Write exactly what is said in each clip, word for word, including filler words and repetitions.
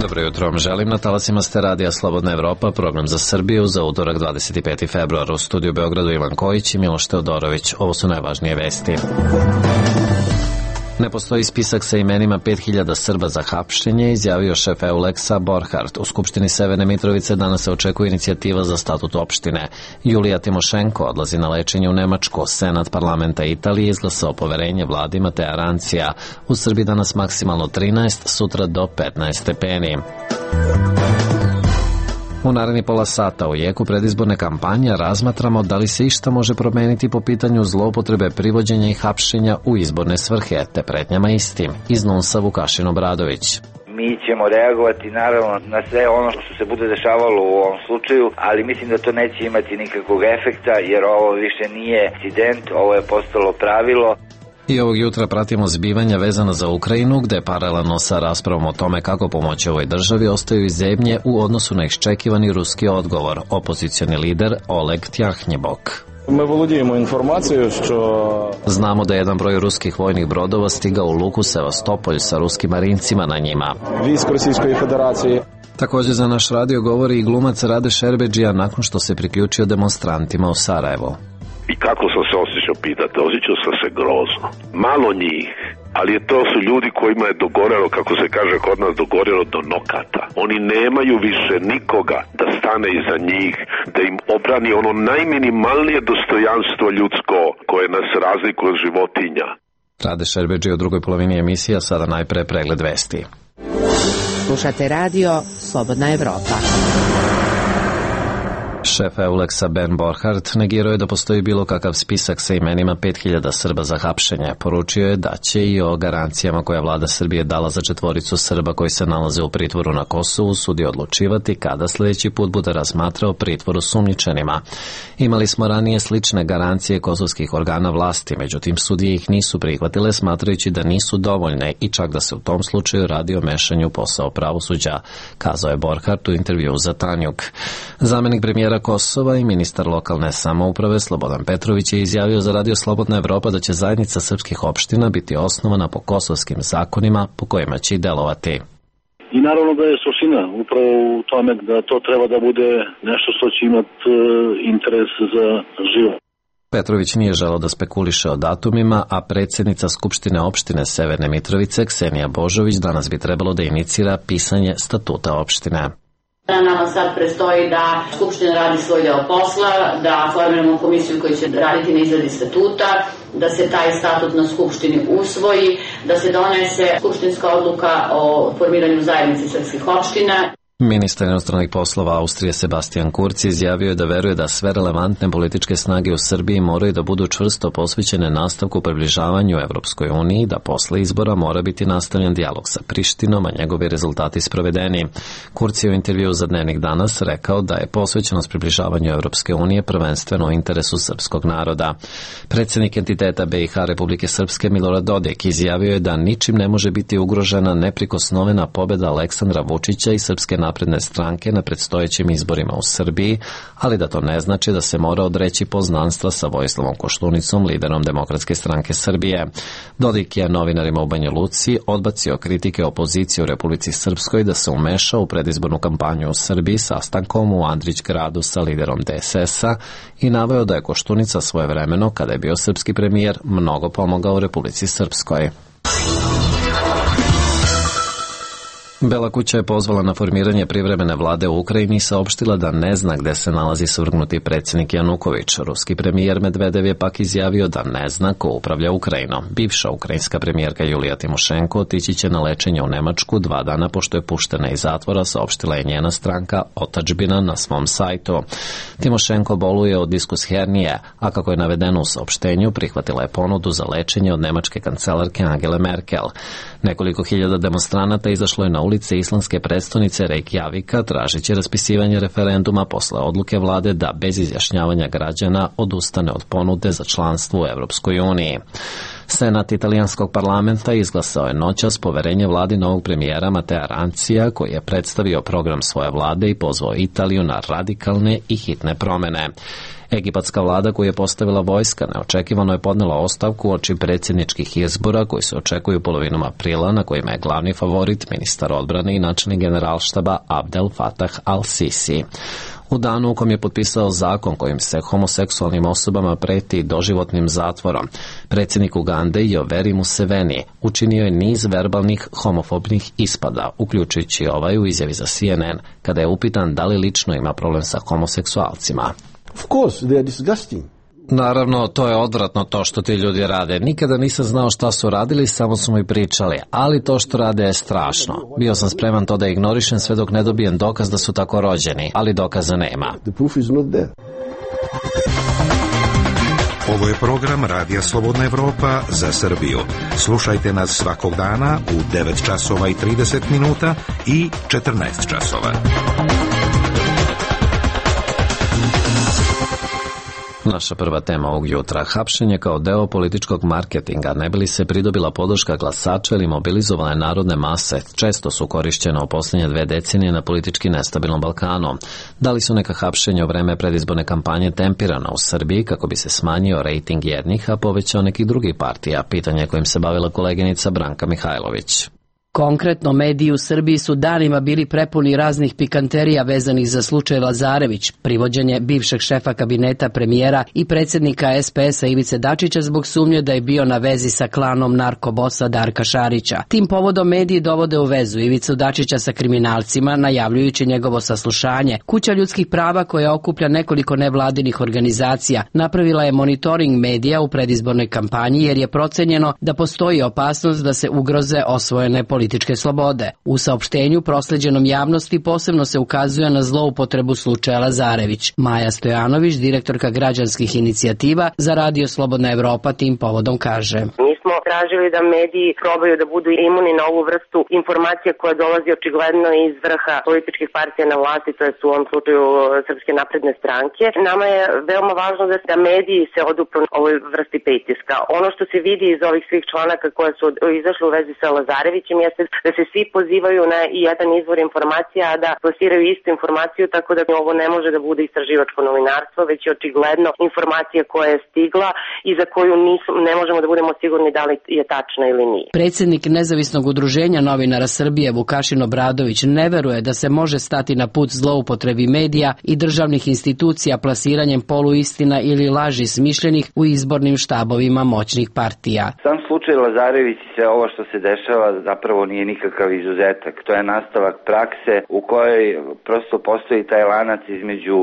Dobro jutro vam želim. Na talasima ste radija Slobodna Evropa, program za Srbiju za utorak dvadeset peti februar. U studiju Beogradu Ivan Kojić i Miloš Teodorović. Ovo su najvažnije vesti. Ne postoji spisak sa imenima pet hiljada Srba za hapšenje, izjavio šef Euleksa Borhardt. U Skupštini Severne Mitrovice danas se očekuje inicijativa za statut opštine. Julija Timošenko odlazi na lečenje u Nemačku. Senat parlamenta Italije izglasao poverenje vladi Matea Rancija. U Srbiji danas maksimalno trinaest, sutra do petnaest stepeni. U naredni pola sata u jeku predizborne kampanje razmatramo da li se išta može promeniti po pitanju zloupotrebe privođenja i hapšenja u izborne svrhe, te pretnjama istim. Iz Nunsa Vukašin Obradović. Mi ćemo reagovati naravno na sve ono što se bude dešavalo u ovom slučaju, ali mislim da to neće imati nikakvog efekta jer ovo više nije incident, ovo je postalo pravilo. I ovog jutra pratimo zbivanja vezana za Ukrajinu, gde paralelno sa raspravom o tome kako pomoći ovoj državi ostaju i zemlje u odnosu na iščekivani ruski odgovor. Opozicioni lider Oleg Tjahnjebok. Mi volodijemo informaciju što... Znamo da je jedan broj ruskih vojnih brodova stigao u luku Sevastopolj sa ruskim marincima na njima. Vojsk Rusijskoj federacije. Također za naš radio govori i glumac Rade Šerbedžija nakon što se priključio demonstrantima u Sarajevo. I kako sam se osjećao, pitate? Osjećao sam se grozno. Malo njih, ali to su ljudi kojima je dogorelo, kako se kaže kod nas, dogorelo do nokata. Oni nemaju više nikoga da stane iza njih, da im obrani ono najminimalnije dostojanstvo ljudsko koje nas razlikuje od životinja. Rade Šerbedžija u drugoj polovini emisija, sada najpre pregled vesti. Slušate radio Slobodna Evropa. Šef Euleksa Ben Borhardt negirao je da postoji bilo kakav spisak sa imenima pet hiljada Srba za hapšenje. Poručio je da će i o garancijama koje vlada Srbije dala za četvoricu Srba koji se nalaze u pritvoru na Kosovu sudi odlučivati kada sljedeći put bude razmatrao pritvor osumnjičenima. Imali smo ranije slične garancije kosovskih organa vlasti, međutim sudije ih nisu prihvatile smatrajući da nisu dovoljne i čak da se u tom slučaju radi o mešanju u posao pravosuđa, kazao je Borhardt u intervjuu za Tanjuk. Zamenik premijera Kosova i ministar lokalne samouprave Slobodan Petrović je izjavio za radio Slobodna Evropa da će zajednica srpskih opština biti osnovana po kosovskim zakonima po kojima će i delovati. I naravno da je suština upravo u tome da to treba da bude nešto što će imati interes za život. Petrović nije želeo da spekuliše o datumima, a predsjednica Skupštine opštine Severne Mitrovice Ksenija Božović danas bi trebalo da inicira pisanje statuta opštine. Nama sad prestoji da Skupština radi svoj deo posla, da formiramo komisiju koja će raditi na izradi statuta, da se taj statut na Skupštini usvoji, da se donese skupštinska odluka o formiranju zajednice srpskih opština. Ministar inostranih poslova Austrije Sebastian Kurz izjavio je da veruje da sve relevantne političke snage u Srbiji moraju da budu čvrsto posvećene nastavku približavanju Evropskoj uniji, da posle izbora mora biti nastavljen dijalog sa Prištinom, a njegovi rezultati sprovedeni. Kurz je u intervjuu za Dnevnik danas rekao da je posvećenost približavanju Evropske unije prvenstveno u interesu srpskog naroda. Predsjednik entiteta B i H Republike Srpske Milorad Dodik izjavio je da ničim ne može biti ugrožena neprikosnovena pobjeda Aleksandra Vučića i Srpske napredne stranke na predstojećim izborima u Srbiji, ali da to ne znači da se mora odreći poznanstva sa Vojislavom Koštunicom, liderom Demokratske stranke Srbije. Dodik je novinarima u Banja Luci odbacio kritike opozicije u Republici Srpskoj da se umeša u predizbornu kampanju u Srbiji sastankom u Andrić gradu sa liderom D S S-a i naveo da je Koštunica svojevremeno, kada je bio srpski premijer, mnogo pomogao Republici Srpskoj. Bela kuća je pozvala na formiranje privremene vlade u Ukrajini i saopštila da ne zna gde se nalazi svrgnuti predsjednik Januković. Ruski premijer Medvedev je pak izjavio da ne zna ko upravlja Ukrajinom. Bivša ukrajinska premijerka Julija Timošenko otići će na lečenje u Nemačku dva dana pošto je puštena iz zatvora, saopštila je njena stranka Otadžbina na svom sajtu. Timošenko boluje od diskus hernije, a kako je navedeno u saopštenju, prihvatila je ponudu za lečenje od nemačke kancelarke Angele Merkel. Nekoliko hiljada demonstranata izašlo je na ulice islandske prestonice Reykjavika tražeći raspisivanje referenduma posle odluke vlade da bez izjašnjavanja građana odustane od ponude za članstvo u Evropskoj uniji. Senat italijanskog parlamenta izglasao je noćas poverenje vladi novog premijera Matea Rencija, koji je predstavio program svoje vlade i pozvao Italiju na radikalne i hitne promene. Egipatska vlada koju je postavila vojska neočekivano je podnela ostavku uoči predsjedničkih izbora koji se očekuju polovinom aprila, na kojima je glavni favorit ministar odbrane i načelnik generalštaba Abdel Fattah al-Sisi. U danu u kom je potpisao zakon kojim se homoseksualnim osobama preti doživotnim zatvorom, predsjednik Ugande Yoweri Museveni učinio je niz verbalnih homofobnih ispada, uključujući ovaj u izjavi za C N N, kada je upitan da li lično ima problem sa homoseksualcima. Of course, they are disgusting. Naravno, to je odvratno to što ti ljudi rade. Nikada nisam znao šta su radili, samo su mi pričali, ali to što rade je strašno. Bio sam spreman to da ignorišem sve dok ne dobijem dokaz da su tako rođeni, ali dokaza nema. The proof is not there. Ovo je program Radija Slobodna Evropa za Srbiju. Slušajte nas svakog dana u devet časova i trideset minuta i četrnaest časova. Naša prva tema ovog jutra, hapšenje kao deo političkog marketinga, ne bi li se pridobila podrška glasača ili mobilizovane narodne mase, često su korišćena u posljednje dve decenije na politički nestabilnom Balkanu. Da li su neka hapšenja u vreme predizborne kampanje tempirana u Srbiji kako bi se smanjio rejting jednih, a povećao nekih drugih partija? Pitanje kojim se bavila koleginica Branka Mihajlović. Konkretno, mediji u Srbiji su danima bili prepuni raznih pikanterija vezanih za slučaj Lazarević, privođenje bivšeg šefa kabineta premijera i predsjednika S P S-a Ivice Dačića zbog sumnje da je bio na vezi sa klanom narkobosa Darka Šarića. Tim povodom mediji dovode u vezu Ivicu Dačića sa kriminalcima, najavljujući njegovo saslušanje. Kuća ljudskih prava, koja okuplja nekoliko nevladinih organizacija, napravila je monitoring medija u predizbornoj kampanji jer je procenjeno da postoji opasnost da se ugroze osvojene politike političke slobode. U saopštenju prosleđenom javnosti posebno se ukazuje na zloupotrebu slučaja Lazarević. Maja Stojanović, direktorka građanskih inicijativa za Radio Slobodna Evropa, tim povodom kaže: Mi smo tražili da mediji probaju da budu imuni na ovu vrstu informacija koja dolazi očigledno iz vrha političkih partija na vlasti, to je u ovom slučaju Srpske napredne stranke. Nama je veoma važno da, da mediji se odupru ovoj vrsti pritiska. Ono što se vidi iz ovih svih članaka koje su izašle u vezi sa Lazarevićem jeste da se svi pozivaju na jedan izvor informacija, a da plasiraju istu informaciju, tako da ovo ne može da bude istraživačko novinarstvo, već je očigledno informacija koja je stigla i za koju nisu, ne možemo da budemo sigurni da li je tačna ili nije. Predsjednik Nezavisnog udruženja novinara Srbije Vukašin Obradović ne veruje da se može stati na put zloupotrebi medija i državnih institucija plasiranjem poluistina ili laži smišljenih u izbornim štabovima moćnih partija. Sam slučaj Lazarević i sve ovo što se dešava zapravo nije nikakav izuzetak. To je nastavak prakse u kojoj prosto postoji taj lanac između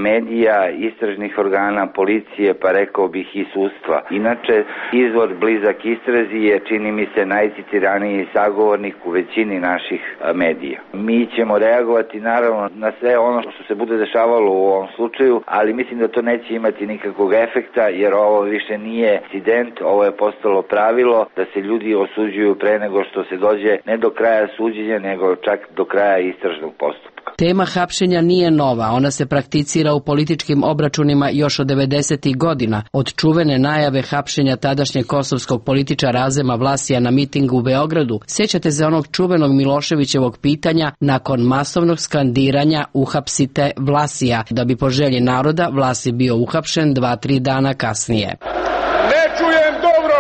medija, istražnih organa, policije, pa rekao bih i sudstva. Inače, izvor blizak istrazi je, čini mi se, najcitiraniji sagovornik u većini naših medija. Mi ćemo reagovati naravno na sve ono što se bude dešavalo u ovom slučaju, ali mislim da to neće imati nikakvog efekta, jer ovo više nije incident, ovo je postalo pravilo da se ljudi osuđuju pre nego što se dođe ne do kraja suđenja, nego čak do kraja istražnog postupka. Tema hapšenja nije nova, ona se prakticira u političkim obračunima još od devedesetih godina, od čuvene najave hapšenja tadašnjeg kosovskog političara Azema Vlasija na mitingu u Beogradu. Sjećate se onog čuvenog Miloševićevog pitanja nakon masovnog skandiranja "Uhapsite Vlasija", da bi po želji naroda Vlasij bio uhapšen dva, tri dana kasnije. Ne čujem dobro,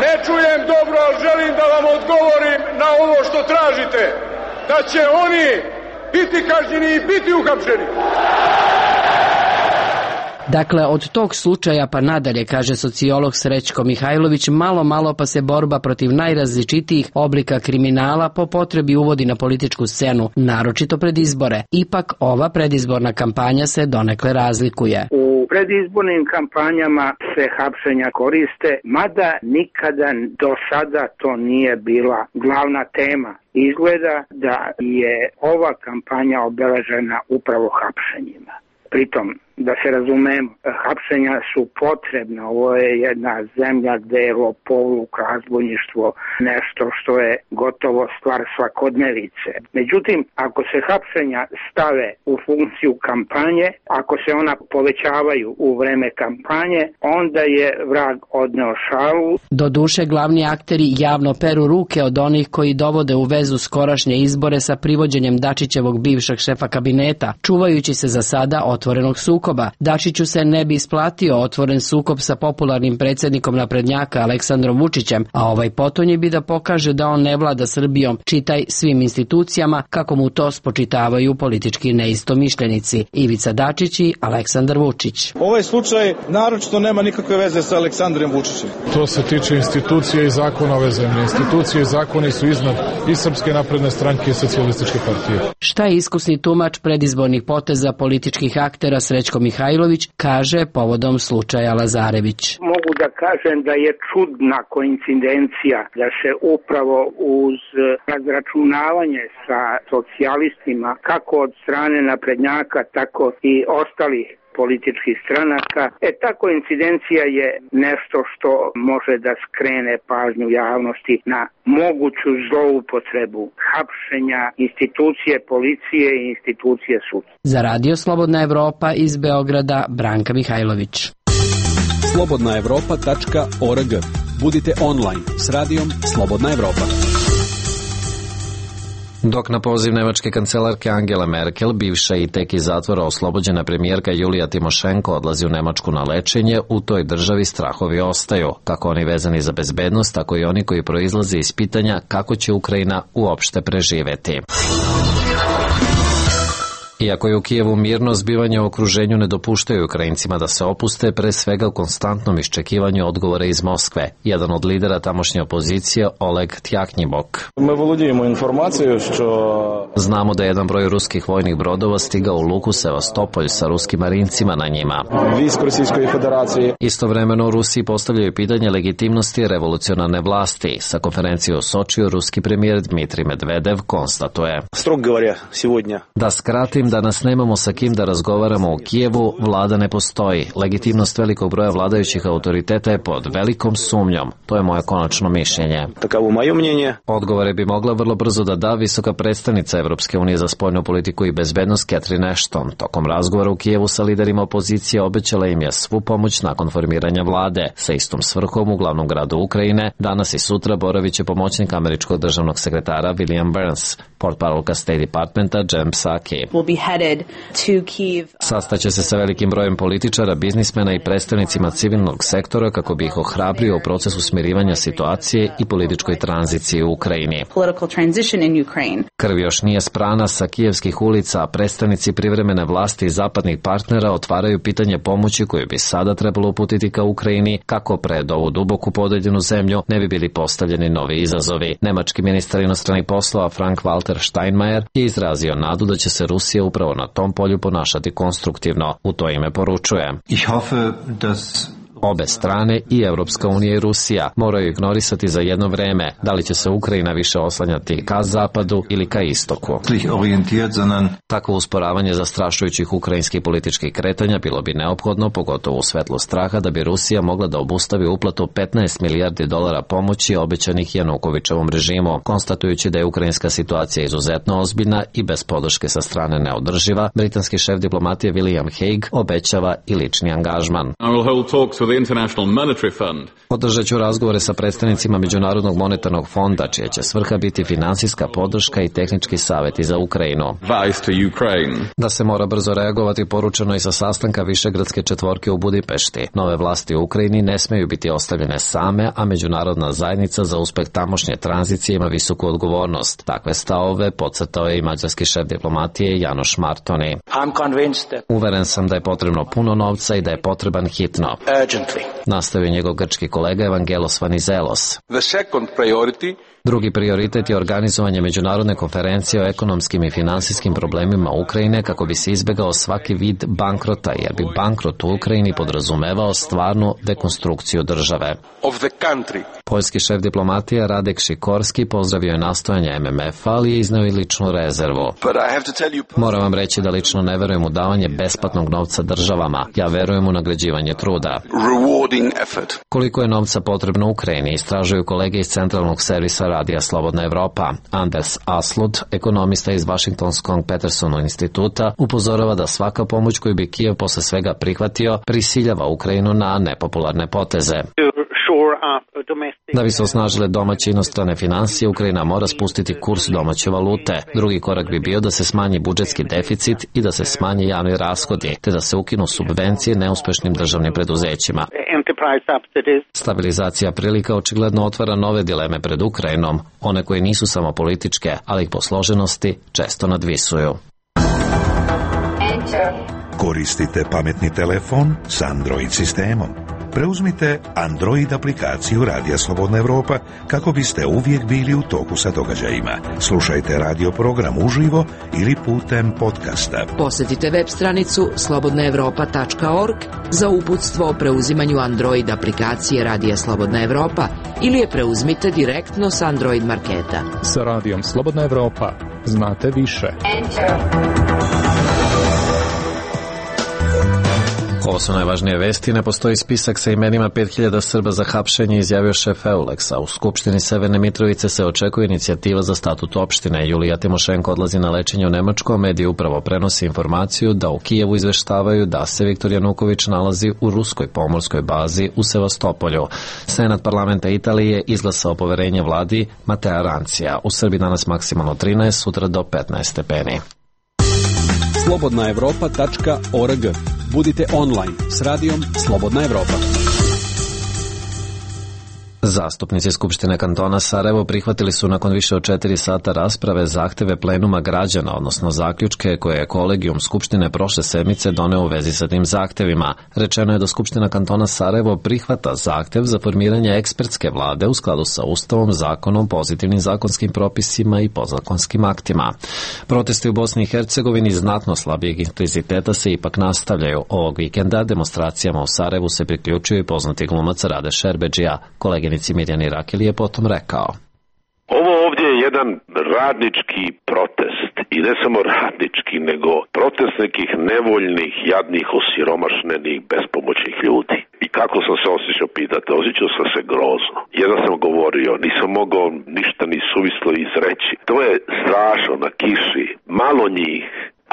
ne čujem dobro, ali želim da vam odgovorim na ovo što tražite. Da će oni biti kažnjeni i biti uhapšeni. Dakle, od tog slučaja pa nadalje, kaže sociolog Srećko Mihajlović, malo malo pa se borba protiv najrazličitijih oblika kriminala po potrebi uvodi na političku scenu, naročito pred izbore. Ipak ova predizborna kampanja se donekle razlikuje. U predizbornim kampanjama se hapšenja koriste, mada nikada do sada to nije bila glavna tema. Izgleda da je ova kampanja obeležena upravo hapšenjima. Pritom Da se razumemo, hapšenja su potrebna. Ovo je jedna zemlja gde je lopovluk, razbojništvo nešto što je gotovo stvar svakodnevice. Međutim, ako se hapšenja stave u funkciju kampanje, ako se ona povećavaju u vreme kampanje, onda je vrag odneo šalu. Do duše, glavni akteri javno peru ruke od onih koji dovode u vezu skorašnje izbore sa privođenjem Dačićevog bivšeg šefa kabineta, čuvajući se za sada otvorenog sukoba. Dačiću se ne bi isplatio otvoren sukob sa popularnim predsjednikom naprednjaka Aleksandrom Vučićem, a ovaj potonji bi da pokaže da on ne vlada Srbijom, čitaj svim institucijama, kako mu to spočitavaju politički neistomišljenici Ivica Dačić i Aleksandar Vučić. Ovaj slučaj naročito nema nikakve veze sa Aleksandrom Vučićem. To se tiče institucije i zakona ove zemlje. Institucije i zakoni su iznad i Srpske napredne stranke i Socijalističke partije. Šta je iskusni tumač predizbornih poteza političkih aktera Srećko Mihajlović kaže povodom slučaja Lazarević. Mogu da kažem da je čudna koincidencija da se upravo uz razračunavanje sa socijalistima, kako od strane naprednjaka, tako i ostalih političkih stranaka. E, ta koincidencija je nešto što može da skrene pažnju javnosti na moguću zloupotrebu hapšenja institucije policije i institucije sudstva. Za Radio Slobodna Evropa iz Beograda, Branka Mihajlović. slobodna evropa tačka org. Budite online s radijom Slobodna Evropa. Dok na poziv nemačke kancelarke Angela Merkel, bivša i tek iz zatvora oslobođena premijerka Julija Timošenko odlazi u Nemačku na lečenje, u toj državi strahovi ostaju, kako oni vezani za bezbednost, tako i oni koji proizlaze iz pitanja kako će Ukrajina uopšte preživeti. Iako je u Kijevu mirno, zbivanje u okruženju ne dopuštaju Ukrajincima da se opuste, pre svega u konstantnom iščekivanju odgovora iz Moskve. Jedan od lidera tamošnje opozicije, Oleg Tjaknjibok. Mi volodijemo informaciju što... Znamo da je jedan broj ruskih vojnih brodova stigao u luku Sevastopolj sa ruskim marincima na njima. Visk Rusijskoj federaciji. Istovremeno u Rusiji postavljaju pitanje legitimnosti revolucionarne vlasti. Sa konferencije u Sočiju ruski premijer Dmitrij Medvedev konstatuje. Strog govorja, sivodnja. Da skratim, danas nemamo sa kim da razgovaramo u Kijevu, vlada ne postoji. Legitimnost velikog broja vladajućih autoriteta je pod velikom sumnjom. To je moje konačno mišljenje. Takavu moje mnjenje. Odgovore bi mogla vrlo brzo da da visoka predstavnica Evropske unije za spoljnu politiku i bezbednost Catherine Ashton. Tokom razgovora u Kijevu sa liderima opozicije obećala im je svu pomoć nakon formiranja vlade. Sa istom svrhom u glavnom gradu Ukrajine danas i sutra boravit će pomoćnik američkog državnog sekretara William Burns, portparolka State Departmenta Jen Psaki. Sastaće se sa velikim brojem političara, biznismena i predstavnicima civilnog sektora kako bi ih ohrabrio u procesu smirivanja situacije i političkoj tranziciji u Ukrajini. Krv još nije sprana sa kijevskih ulica, a predstavnici privremene vlasti i zapadnih partnera otvaraju pitanje pomoći koju bi sada trebalo uputiti ka Ukrajini, kako pred ovu duboku podeljenu zemlju ne bi bili postavljeni novi izazovi. Nemački ministar inostranih poslova Frank-Walter Steinmeier je izrazio nadu da će se Rusija upravo na tom polju ponašati konstruktivno. U to ime poručuje. Ich hoffe, dass Obe strane, i Evropska unija i Rusija, moraju ignorisati za jedno vreme da li će se Ukrajina više oslanjati ka zapadu ili ka istoku. Takvo usporavanje zastrašujućih ukrajinskih političkih kretanja bilo bi neophodno, pogotovo u svetlu straha da bi Rusija mogla da obustavi uplatu petnaest milijardi dolara pomoći obećanih Janukovićevom režimu. Konstatujući da je ukrajinska situacija izuzetno ozbiljna i bez podrške sa strane neodrživa, britanski šef diplomatije William Hague obećava i lični angažman. Održat ću razgovore sa predstavnicima Međunarodnog monetarnog fonda, čija će svrha biti finansijska podrška i tehnički savjeti za Ukrajinu. Da se mora brzo reagovati poručeno i sa sastanka Višegradske četvorke u Budimpešti. Nove vlasti u Ukrajini ne smeju biti ostavljene same, a međunarodna zajednica za uspeh tamošnje tranzicije ima visoku odgovornost. Takve stavove podcrtao je i mađarski šef diplomatije Janoš Martoni. Uveren sam da je potrebno puno novca i da je potreban hitno. Nastavio njegov grčki kolega Evangelos Vanizelos. Drugi prioritet je organizovanje međunarodne konferencije o ekonomskim i finansijskim problemima Ukrajine kako bi se izbegao svaki vid bankrota, jer bi bankrot u Ukrajini podrazumevao stvarnu dekonstrukciju države. Poljski šef diplomatije Radek Šikorski pozdravio je nastojanje M M F-a, ali je izneo i ličnu rezervu. Moram vam reći da lično ne verujem u davanje besplatnog novca državama. Ja verujem u nagrađivanje truda. Koliko je novca potrebno Ukrajini, istražuju kolege iz Centralnog servisa Radija Slobodna Evropa. Anders Aslud, ekonomista iz Vašingtonskog Petersonov instituta, upozorava da svaka pomoć koju bi Kijev posle svega prihvatio prisiljava Ukrajinu na nepopularne poteze. Da bi se osnažile domaće inostrane finansije, Ukrajina mora spustiti kurs domaće valute. Drugi korak bi bio da se smanji budžetski deficit i da se smanje javni rashodi, te da se ukinu subvencije neuspešnim državnim preduzećima. Stabilizacija prilika očigledno otvara nove dileme pred Ukrajinom, one koje nisu samo političke, ali ih po složenosti često nadvisuju. Koristite pametni telefon s Android sistemom. Preuzmite Android aplikaciju Radija Slobodna Evropa kako biste uvijek bili u toku sa događajima. Slušajte radio program uživo ili putem podcasta. Posjetite web stranicu slobodna evropa tačka org za uputstvo o preuzimanju Android aplikacije Radija Slobodna Evropa ili je preuzmite direktno s Android marketa. Sa Radijom Slobodna Evropa znate više. Ovo su najvažnije vesti. Ne postoji spisak sa imenima pet hiljada Srba za hapšenje, izjavio šef Euleksa. U Skupštini Severne Mitrovice se očekuje inicijativa za statut opštine. Julija Timošenko odlazi na lečenje u Nemačku, a mediji upravo prenose informaciju da u Kijevu izveštavaju da se Viktor Januković nalazi u ruskoj pomorskoj bazi u Sevastopolju. Senat parlamenta Italije izglasao poverenje vladi Matea Rancija. U Srbiji danas maksimalno trinaest, sutra do petnaest stepeni. slobodna evropa tačka org. Budite online s radijom Slobodna Evropa. Zastupnici Skupštine kantona Sarajevo prihvatili su nakon više od četiri sata rasprave zahteve plenuma građana, odnosno zaključke koje je kolegijum Skupštine prošle sedmice doneo u vezi sa tim zahtevima. Rečeno je da Skupština kantona Sarajevo prihvata zahtev za formiranje ekspertske vlade u skladu sa Ustavom, zakonom, pozitivnim zakonskim propisima i podzakonskim aktima. Protesti u Bosni i Hercegovini znatno slabijeg intenziteta se ipak nastavljaju. Ovog vikenda demonstracijama u Sarajevu se priključuju i poznati glumac Rade Šerbedžija. Koleginici Mirjani Rakeli je potom rekao: Ovo ovdje je jedan radnički protest i ne samo radnički, nego protest nekih nevoljnih, jadnih, osiromašnenih, bespomoćnih ljudi. I kako sam se osjećao, pitate? Osjećao sam se grozno. Jedan sam govorio, nisam mogao ništa ni suvislo izreći. To je strašno na kiši, malo njih.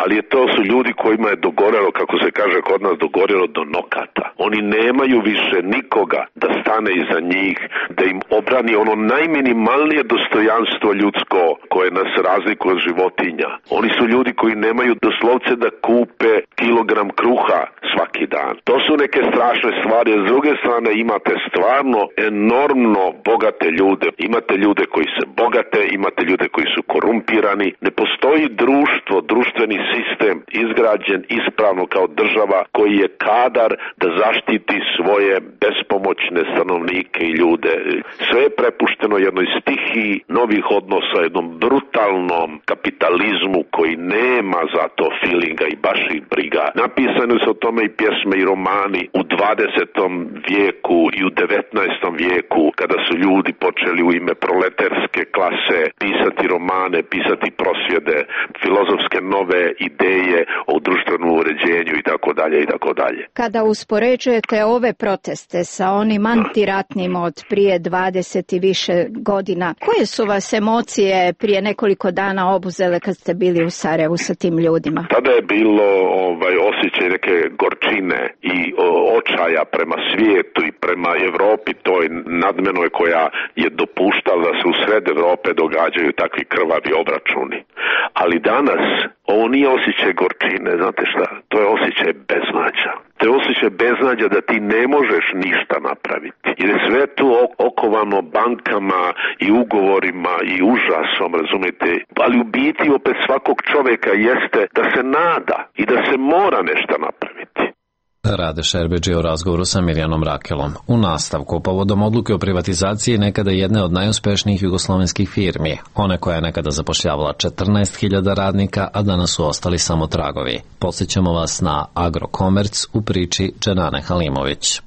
Ali to su ljudi kojima je dogorelo, kako se kaže kod nas, dogorelo do nokata. Oni nemaju više nikoga da stane iza njih, da im obrani ono najminimalnije dostojanstvo ljudsko koje nas razlikuje od životinja. Oni su ljudi koji nemaju doslovce da kupe kilogram kruha svaki dan. To su neke strašne stvari. S druge strane imate stvarno enormno bogate ljude. Imate ljude koji se bogate, imate ljude koji su korumpirani. Ne postoji društvo, društveni sistem izgrađen ispravno kao država koji je kadar da zaštiti svoje bespomoćne stanovnike i ljude. Sve je prepušteno jednoj stihiji novih odnosa, jednom brutalnom kapitalizmu koji nema za to feelinga i baš i briga. Napisane su o tome i pjesme i romani u dvadesetom vijeku i u devetnaestom vijeku, kada su ljudi počeli u ime proletarske klase pisati romane, pisati prosvjede, filozofske nove ideje o društvenom uređenju i tako dalje i tako dalje. Kada uspoređujete ove proteste sa onim antiratnim od prije dvadeset i više godina, koje su vas emocije prije nekoliko dana obuzele kad ste bili u Sarajevu sa tim ljudima? Tada je bilo ovaj osjećaj neke gorčine i o, očaja prema svijetu i prema Evropi, toj nadmenoj koja je dopuštala da se u sred Evrope događaju takvi krvavi obračuni. Ali danas ovo nije osjećaj gorčine, znate šta? To je osjećaj beznađa. To je osjećaj beznađa da ti ne možeš ništa napraviti. Jer je sve tu okovano bankama i ugovorima i užasom, razumijete? Ali u biti opet svakog čovjeka jeste da se nada i da se mora nešto napraviti. Rade Šerbedžija u razgovoru sa Mirjanom Rakelom. U nastavku, povodom odluke o privatizaciji nekada jedne od najuspešnijih jugoslovenskih firmi, one koja je nekada zapošljavala četrnaest hiljada radnika, a danas su ostali samo tragovi. Podsjećamo vas na Agrokomerc u priči Dženane Halimović.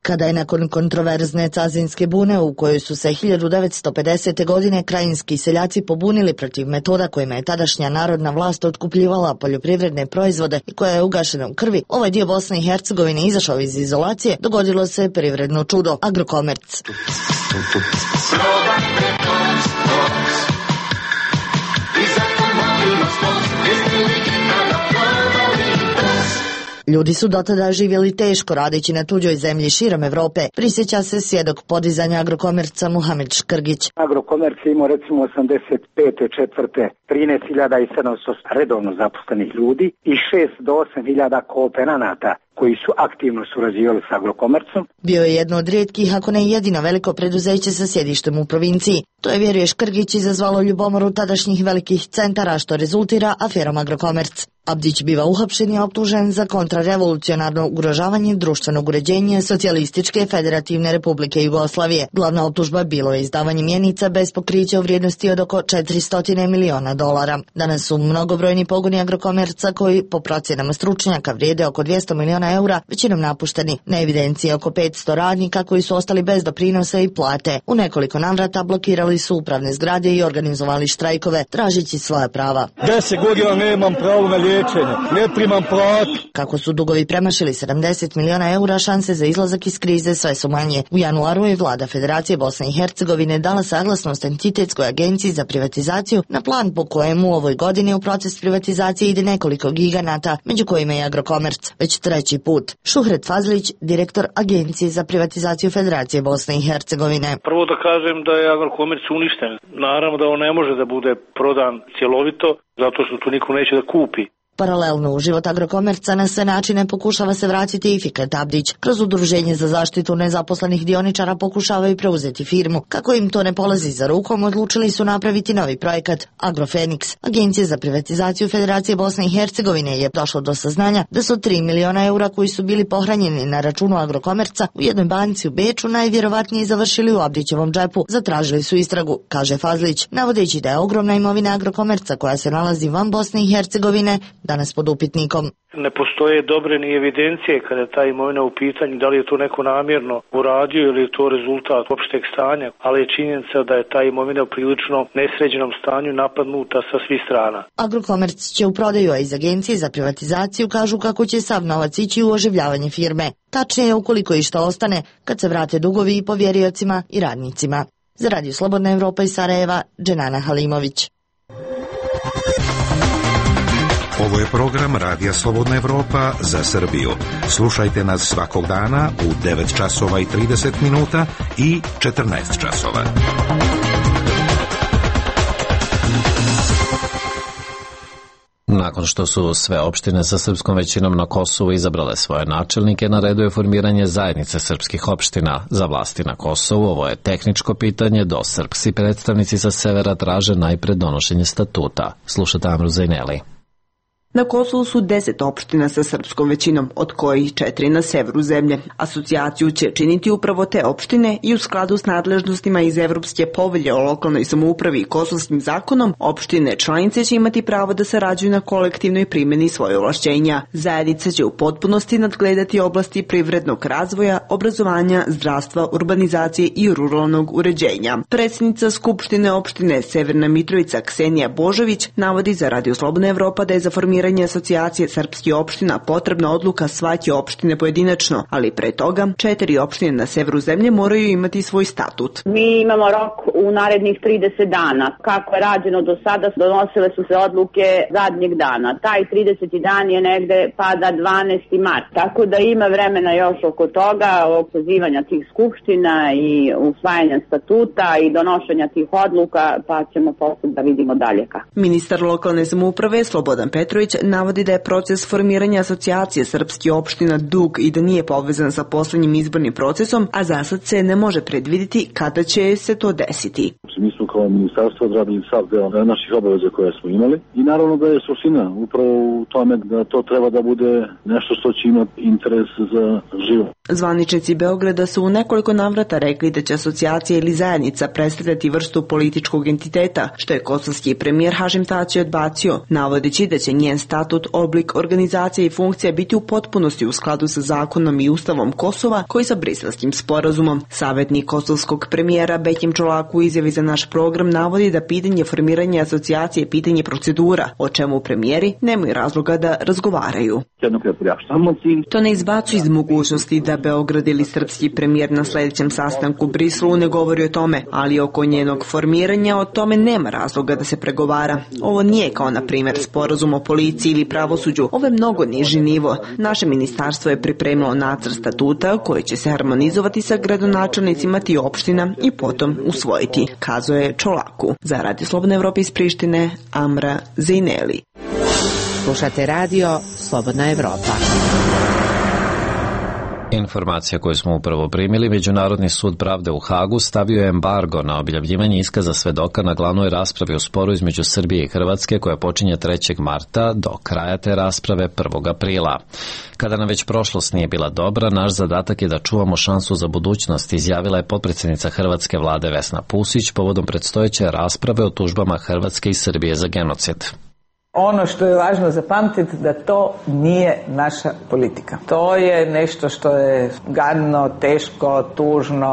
Kada je nakon kontroverzne Cazinske bune u kojoj su se hiljadu devetsto pedesete. godine krajinski seljaci pobunili protiv metoda kojima je tadašnja narodna vlast otkupljivala poljoprivredne proizvode i koja je ugašena u krvi, ovaj dio Bosne i Hercegovine izašao iz izolacije, dogodilo se privredno čudo – Agrokomerc. Ljudi su dotada živjeli teško radeći na tuđoj zemlji širom Evrope, prisjeća se svjedok podizanja Agrokomerca Muhamed Škrgić. Agrokomerc je imao recimo osamdeset pete. četvrte trinaest hiljada sedamsto redovno zaposlenih ljudi i šest do osam hiljada kooperanata koji su aktivno surađivali s Agrokomercom. Bio je jedno od rijetkih, ako ne jedino veliko preduzeće sa sjedištem u provinciji. To je, vjeruje Škrgić, izazvalo ljubomoru tadašnjih velikih centara, što rezultira aferom Agrokomerc. Abdić biva uhapšen i optužen za kontrarevolucionarno ugrožavanje društvenog uređenja Socijalističke federativne republike Jugoslavije. Glavna optužba bilo je izdavanje mjenica bez pokrića u vrijednosti od oko četiristo miliona dolara. Danas su mnogobrojni pogoni Agrokomerca koji, po procjenama stručnjaka, vrijede oko dvjesto miliona eura, većinom napušteni. Na evidenciji je oko petsto radnika koji su ostali bez doprinosa i plate. U nekoliko navrata blokirali su upravne zgrade i organizovali štrajkove, tražeći svoja prava. Deset godina nemam pravo na liječenje, ne primam platu. Kako su dugovi premašili sedamdeset miliona eura, šanse za izlazak iz krize sve su manje. U januaru je vlada Federacije Bosne i Hercegovine dala saglasnost Entitetskoj agenciji za privatizaciju na plan po kojemu u ovoj godini u proces privatizacije ide nekoliko giganata, među kojima je Agrokomerc, već treći put. Šuhret Fazlić, direktor Agencije za privatizaciju Federacije Bosne i Hercegovine. Prvo da kažem da je Agrokomerc uništen. Naravno da on ne može da bude prodan cjelovito, zato što tu niko neće da kupi. Paralelno u život Agrokomerca na sve načine pokušava se vratiti i Fikret Abdić. Kroz Udruženje za zaštitu nezaposlenih dioničara pokušavaju preuzeti firmu. Kako im to ne polazi za rukom, odlučili su napraviti novi projekat Agrofeniks. Agencija za privatizaciju Federacije Bosne i Hercegovine je došlo do saznanja da su tri miliona eura koji su bili pohranjeni na računu Agrokomerca u jednoj banci u Beču najvjerovatnije završili u Abdićevom džepu. Zatražili su istragu, kaže Fazlić, navodeći da je ogromna imovina Agrokomerca koja se nalazi van Bosne i Hercegovine danas pod upitnikom. Ne postoje dobre ni evidencije kada je ta imovina u pitanju, da li je to neko namjerno uradio ili je to rezultat opšteg stanja, ali je činjenica da je ta imovina u prilično nesređenom stanju napadnuta sa svih strana. Agrokomerc će u prodaju, a iz Agencije za privatizaciju kažu kako će sav novac ići u oživljavanje firme. Tačnije, ukoliko i što ostane, kad se vrate dugovi i povjeriocima i radnicima. Za Radio Slobodna Evropa iz Sarajeva, Dženana Halimović. Ovo je program Radija Slobodna Evropa za Srbiju. Slušajte nas svakog dana u devet časova i trideset minuta i četrnaest časova. Nakon što su sve opštine sa srpskom većinom na Kosovu izabrale svoje načelnike, na redu je formiranje zajednice srpskih opština. Za vlasti na Kosovu ovo je tehničko pitanje, do srpski predstavnici sa severa traže najpred donošenje statuta. Slušate Amru Zajneli. Na Kosovu su deset opština sa srpskom većinom, od kojih četiri na severu zemlje. Asocijaciju će činiti upravo te opštine i u skladu s nadležnostima iz Evropske povelje o lokalnoj samoupravi i kosovskim zakonom, opštine članice će imati pravo da sarađuju na kolektivnoj primjeni svoje ovlašćenja. Zajednica će u potpunosti nadgledati oblasti privrednog razvoja, obrazovanja, zdravstva, urbanizacije i ruralnog uređenja. Predsjednica Skupštine opštine Severna Mitrovica Ksenija Božović navodi za Radio Slobodna Evropa da je za formiranje asocijacije srpskih opština potrebna odluka svake opštine pojedinačno, ali pre toga četiri opštine na severu zemlje moraju imati svoj statut. Mi imamo rok u narednih trideset dana. Kako je rađeno do sada, donosile su se odluke zadnjeg dana. Taj trideseti dan je negde pada dvanaesti mart. Tako da ima vremena još oko toga, oko pozivanja tih skupština i usvajanja statuta i donošenja tih odluka, pa ćemo posle da vidimo dalje kako. Ministar lokalne samouprave Slobodan Petrović navodi da je proces formiranja asocijacije srpskih opština dug i da nije povezan sa poslednjim izbornim procesom, a za sad se ne može predviditi kada će se to desiti. Mi smo kao ministarstvo odradili sav deo naših obaveza koje smo imali i naravno da je suština upravo u tome da to treba da bude nešto što će imati interes za život. Zvaničnici Beograda su u nekoliko navrata rekli da će asocijacija ili zajednica predstavljati vrstu političkog entiteta, što je kosovski premijer Hašim Tači odbacio, navodeći da će njen statut, oblik, organizacija i funkcija biti u potpunosti u skladu sa zakonom i ustavom Kosova, koji sa Briselskim sporazumom. Savjetnik kosovskog premijera Bekim Čolaku u izjavi za naš program navodi da pitanje formiranja asocijacije je pitanje procedura, o čemu premijeri nemaju razloga da razgovaraju. To ne izbacu iz mogućnosti da Beograd ili srpski premijer na sljedećem sastanku u Briselu ne govori o tome, ali oko njenog formiranja o tome nema razloga da se pregovara. Ovo nije kao na primjer sporazum o policiji ili pravosuđu, ovo je mnogo niži nivo. Naše ministarstvo je pripremilo nacrt statuta koji će se harmonizovati sa gradonačelnicima tih opština i potom usvojiti, kazuje Čolaku. Za Radio Slobodna Evropa iz Prištine, Amra Zejneli. Slušate radio Slobodna Evropa. Informacija koju smo upravo primili, Međunarodni sud pravde u Hagu stavio je embargo na objavljivanje iskaza svedoka na glavnoj raspravi u sporu između Srbije i Hrvatske koja počinje trećeg marta do kraja te rasprave prvog aprila. Kada nam već prošlost nije bila dobra, naš zadatak je da čuvamo šansu za budućnost, izjavila je potpredsjednica Hrvatske vlade Vesna Pusić povodom predstojeće rasprave o tužbama Hrvatske i Srbije za genocid. Ono što je važno zapamtiti da to nije naša politika. To je nešto što je gadno, teško, tužno,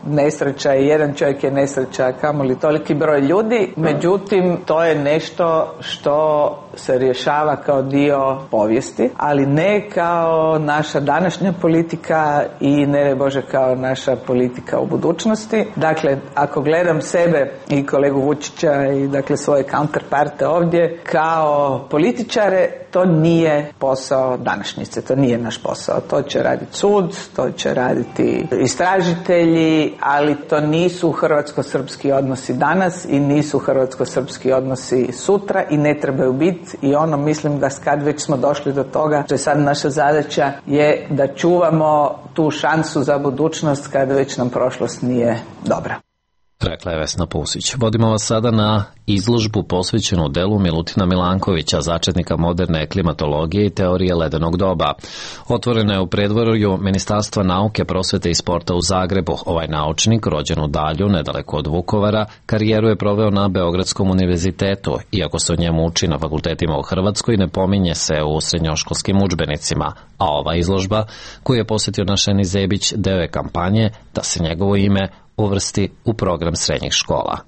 nesreća i jedan čovjek je nesreća, kamoli toliki broj ljudi. Međutim, to je nešto što se rješava kao dio povijesti, ali ne kao naša današnja politika i ne daj Bože kao naša politika u budućnosti. Dakle, ako gledam sebe i kolegu Vučića i dakle svoje counterparte ovdje, kao političare, to nije posao današnjice, to nije naš posao. To će raditi sud, to će raditi istražitelji, ali to nisu hrvatsko-srpski odnosi danas i nisu hrvatsko-srpski odnosi sutra i ne trebaju biti. I ono, mislim da kad već smo došli do toga, što je sad naša zadaća, je da čuvamo tu šansu za budućnost kad već nam prošlost nije dobra. Rekla je Vesna Pusić. Vodimo vas sada na izložbu posvećenu delu Milutina Milankovića, začetnika moderne klimatologije i teorije ledenog doba. Otvorena je u predvorju Ministarstva nauke, prosvete i sporta u Zagrebu. Ovaj naučnik, rođen u Dalju, nedaleko od Vukovara, karijeru je proveo na Beogradskom univerzitetu. Iako se o njemu uči na fakultetima u Hrvatskoj, ne pominje se u srednjoškolskim udžbenicima. A ova izložba, koju je posjetio naš Eni Zebić, deo je kampanje da se njegovo ime uvrsti u program srednjih škola.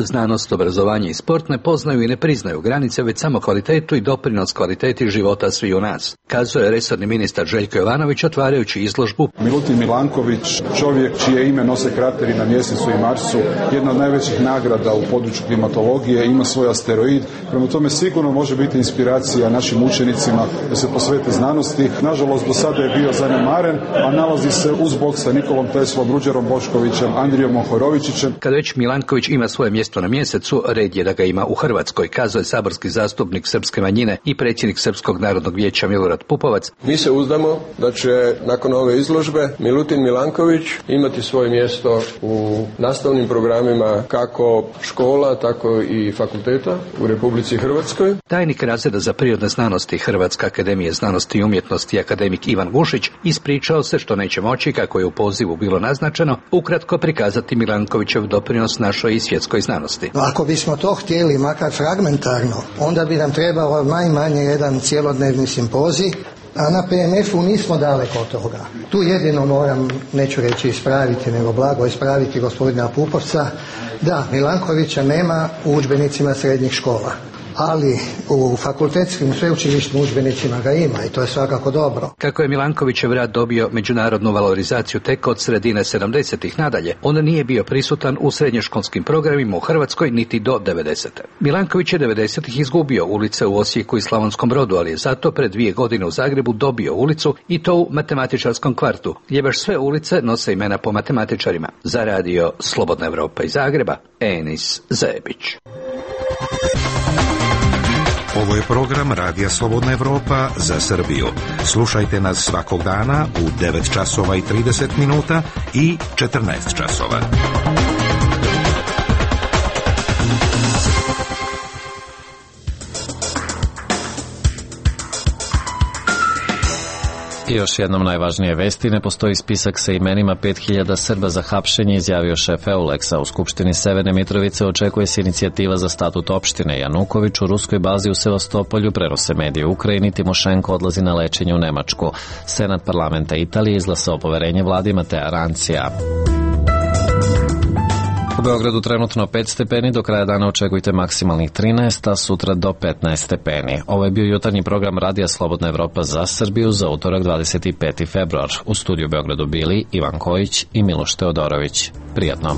Znanost, obrazovanje i sport ne poznaju i ne priznaju granice, već samo kvalitetu i doprinos kvaliteti života svi u nas, kazuje resorni ministar Željko Jovanović otvarajući izložbu. Milutin Milanković, čovjek čije ime nose krateri na Mjesecu i Marsu, jedna od najvećih nagrada u području klimatologije, ima svoj asteroid, prema tome sigurno može biti inspiracija našim učenicima da se posvete znanosti. Nažalost, do sada je bio zanemaren, a nalazi se uz bok sa Nikolom Teslom, Ruđerom Boškovićem, Andrijom Mohorovičićem. Kad već Milanković ima svoje mjesto na Mjesecu, red je da ga ima u Hrvatskoj, kazuje saborski zastupnik srpske manjine i predsjednik Srpskog narodnog vijeća Milorad Pupovac. Mi se uzdamo da će nakon ove izložbe Milutin Milanković imati svoje mjesto u nastavnim programima kako škola, tako i fakulteta u Republici Hrvatskoj. Tajnik razreda za prirodne znanosti Hrvatske akademije znanosti i umjetnosti akademik Ivan Vušić ispričao se što neće moći, kako je u pozivu bilo naznačeno, ukratko prikazati Milankovićev doprinos našoj i svjetskoj znanosti. Ako bismo to htjeli, makar fragmentarno, onda bi nam trebalo najmanje jedan cjelodnevni simpozij, a na P M F-u nismo daleko od toga. Tu jedino moram, neću reći ispraviti, nego blago ispraviti gospodina Pupovca, da, Milankovića nema u udžbenicima srednjih škola, ali u fakultetskim sveučilišnim udžbenicima ga ima i to je svakako dobro. Kako je Milankovićev rad dobio međunarodnu valorizaciju tek od sredine sedamdesetih nadalje, on nije bio prisutan u srednjoškolskim programima u Hrvatskoj niti do devedesete. Milanković je devedesetih izgubio ulice u Osijeku i Slavonskom Brodu, ali je zato pred dvije godine u Zagrebu dobio ulicu i to u matematičarskom kvartu, gdje baš sve ulice nose imena po matematičarima. Za radio Slobodna Evropa iz Zagreba, Enis Zebić. Ovo je program Radija Slobodna Evropa za Srbiju. Slušajte nas svakog dana u devet časova i trideset minuta i četrnaest časova. I još jednom najvažnije vesti, ne postoji spisak sa imenima pet hiljada Srba za hapšenje, izjavio šef Euleksa. U Skupštini Severne Mitrovice očekuje se inicijativa za statut opštine. Januković u ruskoj bazi u Sevastopolju, prenose medije u Ukrajini, Timošenko odlazi na lečenje u Nemačku. Senat parlamenta Italije izglasao poverenje vladi Matea Rancija. U Beogradu trenutno pet stepeni, do kraja dana očekujte maksimalnih trinaest, a sutra do petnaest stepeni. Ovo je bio jutarnji program Radija Slobodna Evropa za Srbiju za utorak dvadeset peti februar. U studiju Beogradu bili Ivan Kojić i Miloš Teodorović. Prijatno.